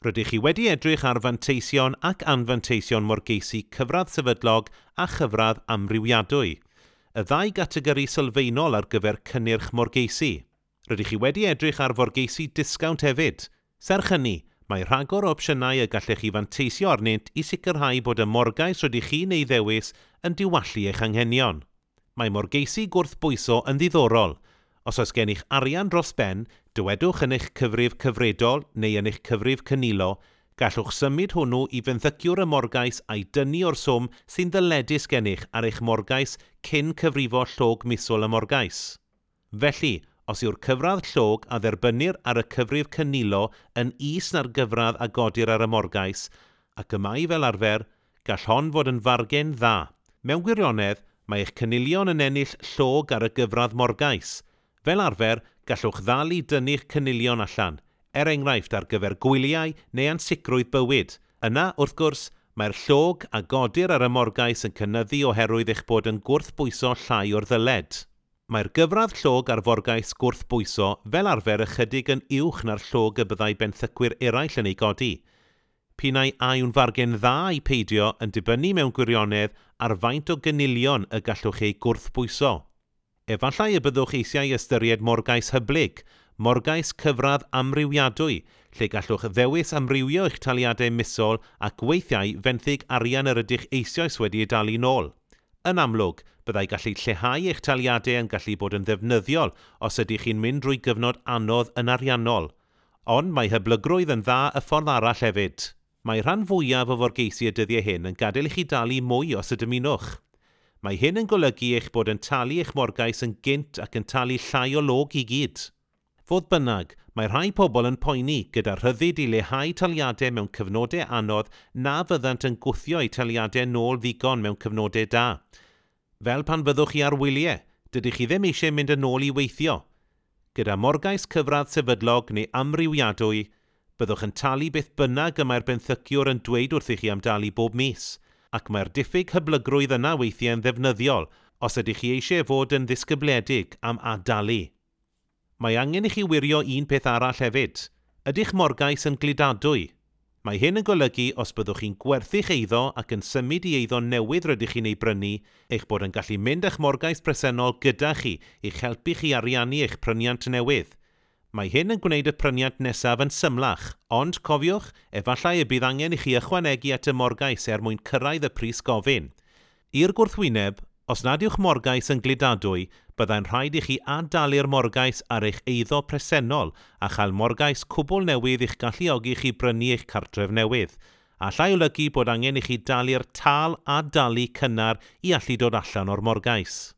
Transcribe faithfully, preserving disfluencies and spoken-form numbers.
Rydych chi wedi edrych ar fanteision ac anfanteision morgeisi cyfradd sefydlog a chyfradd amrywiadwy, y ddau gategori sylfaenol ar gyfer cynnyrch morgeisi. Rydych chi wedi edrych ar forgeisi disgownt hefyd. Serch hynny, mae rhagor o opsiynau y gallech chi fanteisio arnynt i sicrhau bod y morgais rydych chi'n ei ddewis yn diwallu eich anghenion. Mae morgeisi gwrthbwyso yn ddiddorol. Os oes gennych arian dros ben, dywedwch yn eich cyfrif cyfredol neu yn eich cyfrif cynilo, gallwch symud hwnnw i fenthyciwr y morgais a'i dynnu o'r swm sy'n ddyledus gennych ar eich morgais cyn cyfrifo llog misol y morgais. Felly, os yw'r cyfradd llog a dderbynnir ar y cyfrif cynilo yn is na'r gyfradd a godir ar y morgais, ac y mae fel arfer, gall hon fod yn fargen dda. Mewn gwirionedd, mae eich cynilion yn ennill llog ar y gyfradd morgais. Fel arfer, gallwch ddal i dynnu'ch cynilion allan, er enghraifft ar gyfer gwyliau neu ansicrwydd bywyd. Yna, wrth gwrs, mae'r llog a godir ar y morgais yn cynyddu oherwydd eich bod yn gwrthbwyso llai o'r ddyled. Mae'r gyfradd llog ar forgais gwrthbwyso fel arfer ychydig yn uwch na'r llog y byddai benthycwyr eraill yn ei godi. P'un ai a yw'n fargen dda ai peidio yn dibynnu mewn gwirionedd ar faint o gynilion y gallwch eu gwrthbwyso. Efallai y byddwch eisiau ystyried morgais hyblyg, morgais cyfradd amrywiadwy, lle gallwch ddewis amrywio eich taliadau misol ac weithiau fenthyg arian yr ydych eisoes wedi ei dalu nôl. Yn amlwg, byddai gallu lleihau eich taliadau yn gallu bod yn ddefnyddiol os ydych chi'n mynd drwy gyfnod anodd yn ariannol. Ond mae hyblygrwydd yn dda y ffordd arall hefyd. Mae rhan fwyaf o forgeisi y dyddiau hyn yn gadael i chi dalu mwy os y dymunwch. Mae hyn yn golygu eich bod yn talu eich morgais yn gynt ac yn talu llai o log i gyd. Fodd bynnag, mae rhai pobl yn poeni gyda rhyddid i leihau taliadau mewn cyfnodau anodd na fyddant yn gwthio eu taliadau nôl ddigon mewn cyfnodau da. Fel pan fyddwch chi ar wyliau, dydych chi ddim eisiau mynd yn ôl i weithio. Gyda morgais cyfradd sefydlog neu amrywiadwy, byddwch yn talu beth bynnag y mae'r benthyciwr yn dweud wrthych chi am dalu bob mis, ac mae'r diffyg hyblygrwydd yna weithiau yn ddefnyddiol os ydych chi eisiau fod yn ddisgybledig am adalu. Mae angen i chi wirio un peth arall hefyd. Ydych morgais yn gludadwy? Mae hyn yn golygu os byddwch chi'n gwerthu'ch eiddo ac yn symud i eiddo newydd rydych chi'n ei brynu, eich bod yn gallu mynd â'ch morgais presennol gyda chi i'ch helpu chi ariannu eich pryniant newydd. Mae hyn yn gwneud y pryniant nesaf yn symlach, ond cofiwch, efallai y bydd angen i chi ychwanegu at y morgais er mwyn cyrraedd y pris gofyn. I'r gwrthwyneb, os nad yw'ch morgais yn gludadwy, byddai'n rhaid i chi ad-dalu'r morgais ar eich eiddo presennol a chael morgais cwbl newydd i'ch galluogi chi brynu eich cartref newydd. Allai olygu bod angen i chi dalu'r tâl ad-dalu cynnar i allu dod allan o'r morgais.